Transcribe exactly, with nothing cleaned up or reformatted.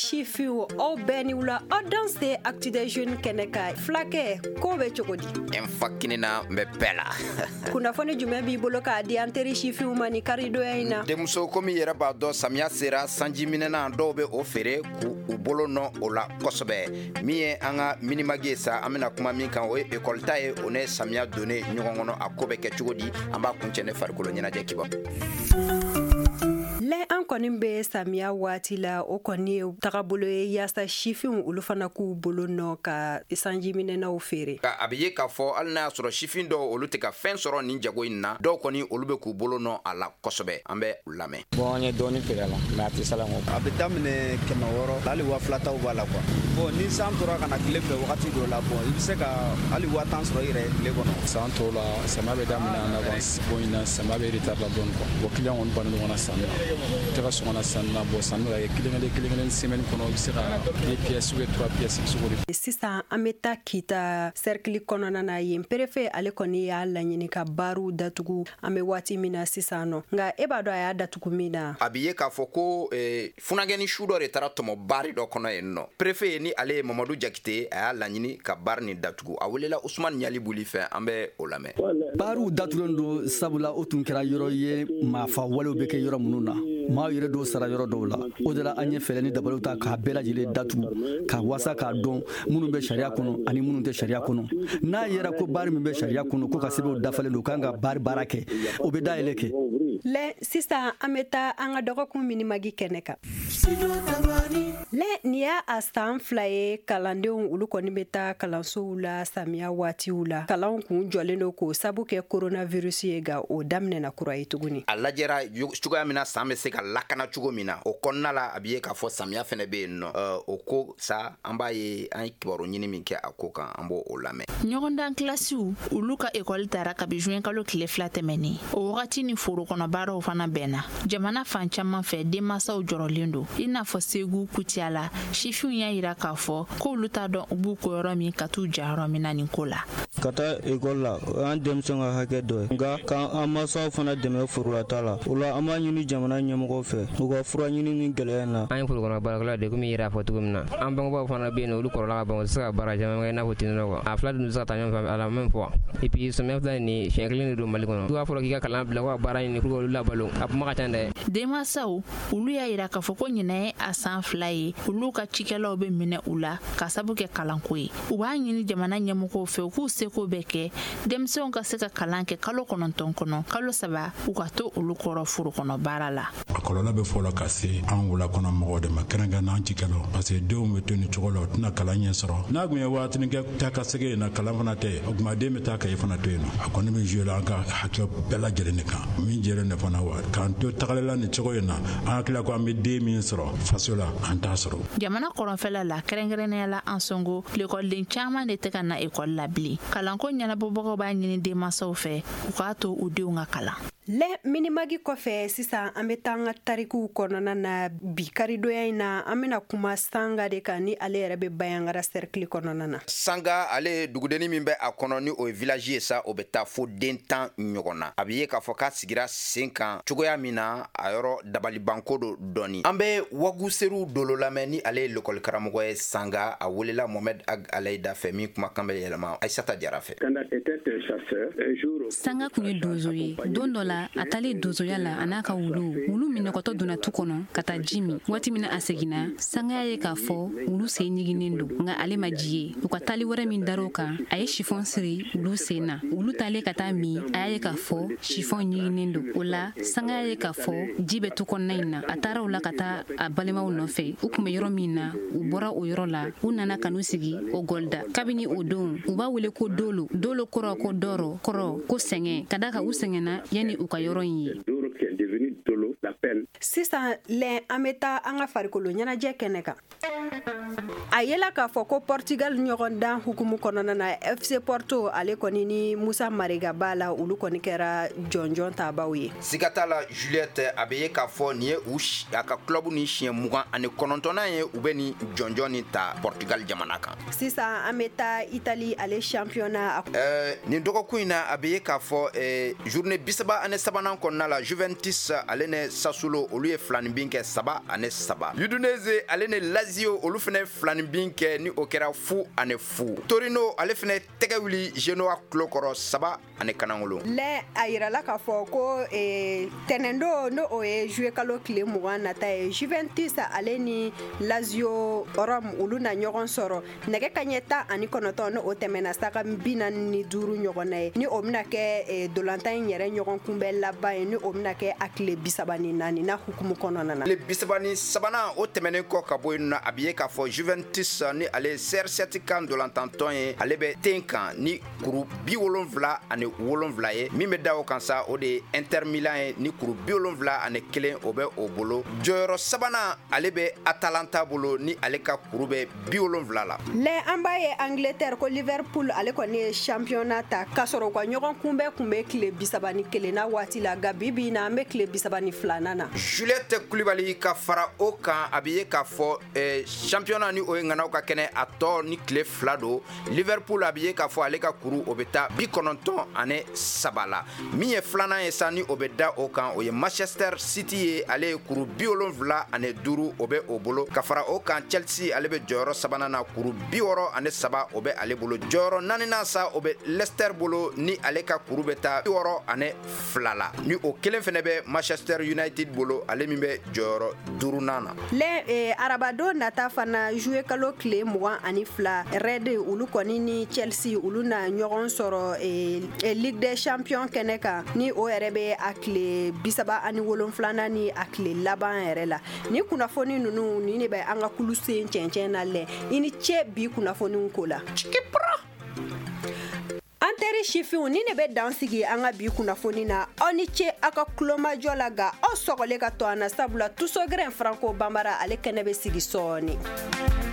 Sifinw, aw bɛɛ ni wula, aw danse Actu des Jeunes kɛnɛ kan. Fulakɛ, ko bɛ cogo di? N fa kini na, n bɛ bɛɛ la. Kunnafoni jumɛn b'i bolo k'a di an teri sifinw ma ni karidonya in na? Denmuso, komi yɛrɛ b'a dɔn, samiya sera, sanji minɛna, dɔw bɛ o feere k'u u bolo nɔ o la kosɛbɛ. Min ye an ka Minimag ye sa, an bɛna kuma min kan, o ye ekɔli ta ye, o ne samiya donnen ɲɔgɔn kɔnɔ, a ko bɛ kɛ cogo di? An b'a kuncɛ ne farikolo ɲɛnajɛ kiba. Lɛ, an kɔni bɛ samiya waati la, o kɔni ye tagabolo ye yaasa sifinw olu fana k'u bolo nɔ ka sanjiminɛnaw feere. A bɛ ye k'a fɔ hali n'a y'a sɔrɔ sifin dɔw, olu tɛ ka fɛn sɔrɔ nin jago in na, dɔw kɔni, olu bɛ k'u bolo nɔ a la kosɛbɛ. An bɛ u lamɛn. Bon, an ye dɔɔni feere a la, mais a tɛ sala kɔ. A bɛ daminɛ kɛmɛ wɔɔrɔ, hali waa fila taw b'a la quoi. Bon, ni san tora ka na tile fɛ wagati dɔ la, bon, i bɛ se ka hali waa tan sɔrɔ i yɛrɛ ye tile kɔnɔ. San tɔw la, samiya bɛ daminɛ en avance. Bon, ɲinan samiya bɛ retard la dɔɔni quoi. Bon, client kɔni bannen ɲɔgɔn na sanni na, u tɛ ka sɔn ka na sanni na. Bon, sanni bɛ ka kɛ kelen kelen kelen kelen. Semaine kɔnɔ, i bɛ se ka deux pièces ou bien trois pièces, i bɛ se k'o de. Sisan an bɛ taa Kita cercle kɔnɔna na. Yen, préfet ale kɔni y'a laɲini ka baariw datugu an bɛ waati min na sisan nɔ. Nka e b'a dɔn a y'a datugu min na? A bɛ ye k'a fɔ ko eh, funagɛni su dɔ de taara tɔmɔ baari dɔ kɔnɔ yen nɔ. Préfet, ni ale ye Mamadu Jakite, a y'a laɲini ka baari nin datugu. A welela Usumani Ɲali Buli fɛ, an bɛ o lamɛn. Baariw datugulen don sabula o tun kɛra yɔrɔ ye maafa walew bɛ kɛ yɔrɔ minnu na, maaw yɛrɛ dɔw sara yɔrɔ dɔw la. O de la an ye fɛɛrɛ ni dabaliw ta k'a bɛɛ lajɛlen datugu, ka wasa k'a dɔn minnu bɛ sariya kɔnɔ ani minnu tɛ sariya kɔnɔ. N'a yɛrɛ ko baari min bɛ sariya kɔnɔ, ko ka sɛbɛnw dafalen don, kan ka baari baara kɛ, o bɛ dayɛlɛ kɛ. Lɛ, sisan an bɛ taa an ka dɔgɔkun Minimag kɛnɛ kan. Lɛ, nin y'a a san fila ye kalandenw olu kɔni bɛ taa kalansow la samiya waatiw la. Kalanw kun jɔlen don k'o sabu kɛ coronavirus ye, nka o daminɛna kura ye tuguni. A lajɛra cogoya min na san bɛ se ka lakana cogo min na, o kɔnɔna la, a bɛ ye k'a fɔ samiya fɛnɛ bɛ yen nɔ. O ko sa, an b'a ye an ye kibaru ɲini min kɛ a ko kan, an b'o o lamɛn. Ɲɔgɔndan kilasiw olu ka ekɔli tara kabi juin kalo tile fila tɛmɛnen. O wagati ni foro kɔnɔ baaraw fana bɛnna. Jamana fan caman fɛ, denmansaw jɔrɔlen don. I n'a fɔ Segu Kutiyala, sifinw y'a yira k'a fɔ k'olu t'a dɔn u b'u ko yɔrɔ min ka t'u ja yɔrɔ min na nin ko la. Ka taa ekɔli la, o y'an denmisɛnw ka hakɛ dɔ ye, nka k'an mansaw fana dɛmɛ forolata la. O la an b'a ɲini jamana ɲɛmɔgɔw fɛ, u ka fura ɲini ni gɛlɛya in na. An ye forokɔnɔ baarakɛlaw de, komi i yɛrɛ y'a fɔ cogo min na. An bangebaaw fana bɛ yen nɔ, olu kɔrɔla ka ban, u tɛ se ka baara caman kɛ i n'a fɔ tenue quoi. A fila dun tɛ se ka taa ɲɔgɔn fɛ à la même fois. Et puis samiya filɛ nin, siɲɛ kelen de don Mali kɔnɔ. I b'a fɔra k'i ka kalan bila ko ka baara ɲini pour que olu labalo, a kuma ka ca dɛ. Denmansaw olu y'a yira k'a fɔ ko ɲinɛ ye a san fila ye olu ka cikɛlaw bɛ minɛ u la ka sabu kɛ kalanko ye. U b'a ɲini jamana ɲɛmɔgɔw fɛ, u k'u seko bɛɛ kɛ denmisɛnw ka se ka kalan kɛ kalo kɔnɔntɔn kɔnɔ, kalo saba u ka to olu kɔrɔ foro kɔnɔ baara la. A kɔlɔlɔ bɛ fɔlɔ ka se an wula kɔnɔ mɔgɔw de ma, kɛrɛnkɛrɛn an cikɛlaw, parce que denw bɛ to nin cogo la, u tɛna kalan ɲɛ sɔrɔ. N'a kun ye waatinin kɛ taa ka segin yen na, kalan fana tɛ, o tuma den bɛ taa ka e fana to yen nɔ. A kɔni bɛ jouer an ka hakɛ bɛɛ lajɛlen de kan min jɛlen de fana wa k'an to tagalila nin cogo in na, an hakili ko an bɛ den min sɔrɔ faso la, an t'a sɔrɔ. Jamana kɔrɔnfɛla la, kɛrɛnkɛrɛnnenya la Ansongo, lekɔliden caman de tɛ ka na ekɔli la bilen. Kalanko ɲɛnabɔbagaw b'a ɲini denmansaw fɛ, u k'a to u denw ka kalan. Lɛ, Minimag kɔfɛ, sisan an bɛ taa an ka tarikuw kɔnɔna na. Bi karidonya in na, an bɛna kuma Sanga de kan, ni ale yɛrɛ bɛ Bayangara cercle kɔnɔna na. Sanga, ale ye dugudenni min bɛ a kɔnɔ, ni o ye village ye sa, o bɛ taa fo den tan ɲɔgɔn na. A bɛ ye k'a fɔ k'a sigira sen kan cogoya min na, a yɔrɔ dabalibanko do dɔɔni. An bɛ Waguseru Dolo lamɛn, ni ale ye lekɔli karamɔgɔ ye Sanga. A welela Mohamed Ag Alayida fɛ, min kumakan bɛ yɛlɛma Aissata Jara fɛ. Sanga kun ye donso ye. Don dɔ la, a taalen donsoya la a n'a ka wulu, wulu minɔgɔtɔ donna tu kɔnɔ ka taa ji min. Waati min na a seginna, Sanga y'a ye k'a fɔ wulu sen ɲiginnen don, nka ale ma ji ye. U ka taali wɛrɛ min dar'o kan, a ye sifɔn siri wulu sen na. Wulu taalen ka taa min, a y'a ye k'a fɔ sifɔn ɲiginnen don. O la Sanga y'a ye k'a fɔ ji bɛ tu kɔnɔna in na. A taara o la ka taa a balimaw nɔfɛ, u kun bɛ yɔrɔ min na. U bɔra o yɔrɔ la, u nana ka n'u sigi o gɔlida. Kabini o don, u b'a wele ko Dolo. Dolo kɔrɔ ko dɔrɔ, kɔrɔ ko sɛgɛn, ka da ka u sɛgɛnna yanni u ka yɔrɔ in ye. Sisan lɛ, an bɛ taa an ka farikolo ɲɛnajɛ kɛnɛ kan. A yela k'a fɔ ko Portugal ɲɔgɔndan hukumu kɔnɔna na, F C Porto ale kɔni ni Musa Marega b'a la, olu kɔni kɛra jɔnjɔn tabaw ye. Siga t'a la, Juliette, a bɛ ye k'a fɔ nin ye u a ka club ni siɲɛ mugan ani kɔnɔntɔnnan ye u bɛ nin jɔnjɔn nin ta Portugal jamana kan. Sisan an bɛ taa Italie, ale championnat. Ɛɛ nin dɔgɔkun in na, a bɛ ye k'a fɔ ɛɛ journée bisaba ani sabanan kɔnɔna la, Juventus ale ni Sassuolo olu ye filaninbin kɛ saba ani saba. Udinese ale ni Lazio olu fana filaninbin kɛ ni o kɛra fu ani fu. Torino ale fana tɛgɛ wuli Genoa kulo kɔrɔ saba ani kanangolo. Lɛ a yirala k'a fɔ ko eh, tɛnɛndo n'o o ye juillet kalo tile mugan nata ye, Juventus ale ni Lazio Rome olu na ɲɔgɔn sɔrɔ nɛgɛ kaɲɛ tan ani kɔnɔntɔn n'o tɛmɛna sanga bi naani ni duuru ɲɔgɔn na ye, ni o bɛna kɛ eh, dolantan in yɛrɛ ɲɔgɔn kunbɛn laban ye, ni o bɛna kɛ a tile bi saba ni naani n'a hukumu kɔnɔna na. Tile bi saba ni sabanan o tɛmɛnen kɔ ka bɔ yen nɔ, a bɛ ye k'a fɔ Juventus ni ale C R sept kan dolantantɔn ye, ale bɛ ten kan ni kuru bi wolonfila ani wolonfila ye. Min bɛ da o kan sa, o de ye Inter Milan ye ni kuru bi wolonfila ani kelen o bɛ o bolo. Jɔyɔrɔ sabanan ale bɛ Atalanta bolo ni ale ka kuru bɛ bi wolonfila la. Lɛ an b'a ye Angleterre ko Liverpool ale kɔni ye championnat ta k'a sɔrɔ u ka ɲɔgɔn kunbɛn kun bɛ tile bi saba ni kelen na waati la, nka bi bi in na an bɛ tile bi saba ni filanan na. Juliette Kulibali ka fara o kan, a bɛ ye k'a fɔ eh, championnat ni o ye ŋanaw ka kɛnɛ a tɔ ni tile fila don. Liverpool a bɛ ye k'a fɔ ale ka kuru o bɛ taa bi kɔnɔntɔn ani saba la. Min ye filanan ye sa ni o bɛ da o kan, o ye Manchester City ye, ale ye kuru bi wolonfila ani duuru o bɛ o bolo. Ka fara o kan Chelsea ale bɛ jɔyɔrɔ sabanan na, kuru bi wɔɔrɔ ani saba o bɛ ale bolo. Jɔyɔrɔ naaninan sa o bɛ Leicester bolo ni ale ka kuru bɛ taa bi wɔɔrɔ ani fila la. Ni o kelen fɛnɛ bɛ Manchester United bolo, ale min bɛ jɔyɔrɔ duurunan na. Lɛ eh, arabadon nata fana juillet kalo tile mugan ani fila, Red olu kɔni ni Chelsea olu na ɲɔgɔn sɔrɔ eh, eh, Ligue des Champions kɛnɛ kan, ni o yɛrɛ bɛ a tile bi saba ani wolonfilanan ni a tile laban yɛrɛ la. Ni kunnafoni ninnu ni ne bɛ an ka kulu sen cɛncɛn na. Lɛ i ni ce bi kunnafoniw ko la. An teri sifinw, ni ne bɛ dan sigi an ka bi kunnafoni na. Aw ni ce aw ka kulomajɔ la, nka aw sɔgɔlen ka to an na, sabula Tusogɛrɛn Franco Banbara ale kɛnɛ bɛ sigi sɔɔni.